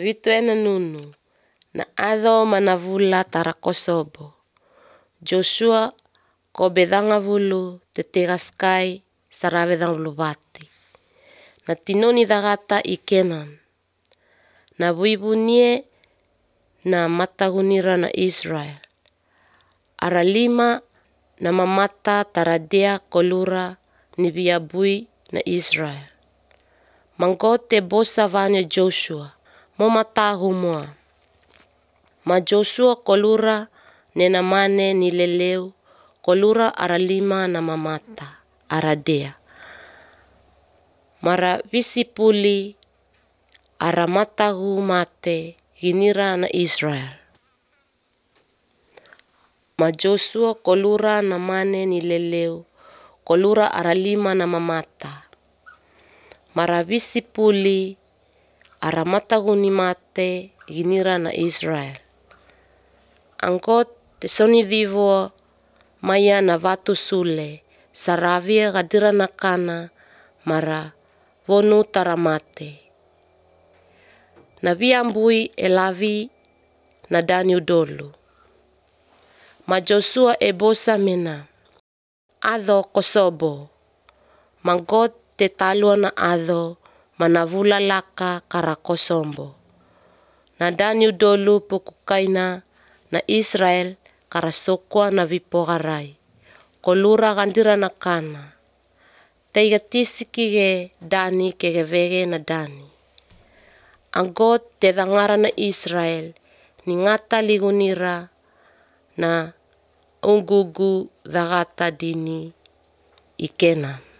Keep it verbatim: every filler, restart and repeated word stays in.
Vituena nunu, na adho manavula tarakosobo. Joshua ko bedanga vulu te tegaskai saravedang vati. Na tinoni dagata i Kenan. Na buibunie na matagunira na Israel. Ara lima na mamata taradea kolura ni biabui na Israel. Manggote bosa vanya Joshua, mo matahu mua. Ma Joshua kolura nena mane ni leleu, kolura ara lima na mamata, aradea. Mara visipuli ara matahu mate ginira na Israel. Ma Joshua kolura na mane ni leleu, kolura ara lima na mamata. Mara visipuli ara matahu ni mate ginira na Israel. Angkot te soni vivo maya na vatu sule, saravia gadira na kana mara vonu taramate. Na viambui elavi na dani udolu. Ma Joshua e bosa mena, adho kosobo, manggot te talua na adho manavula laka kara kosombo. Na dani udolu pukukaina na Israel kara sokwa na vipogarai, kolura gandira na kana. Teiga tisiki ge dani kege vege na dani. Anggot te dangara na Israel ni ngata ligunira na ungugu dagata dini i Kenan.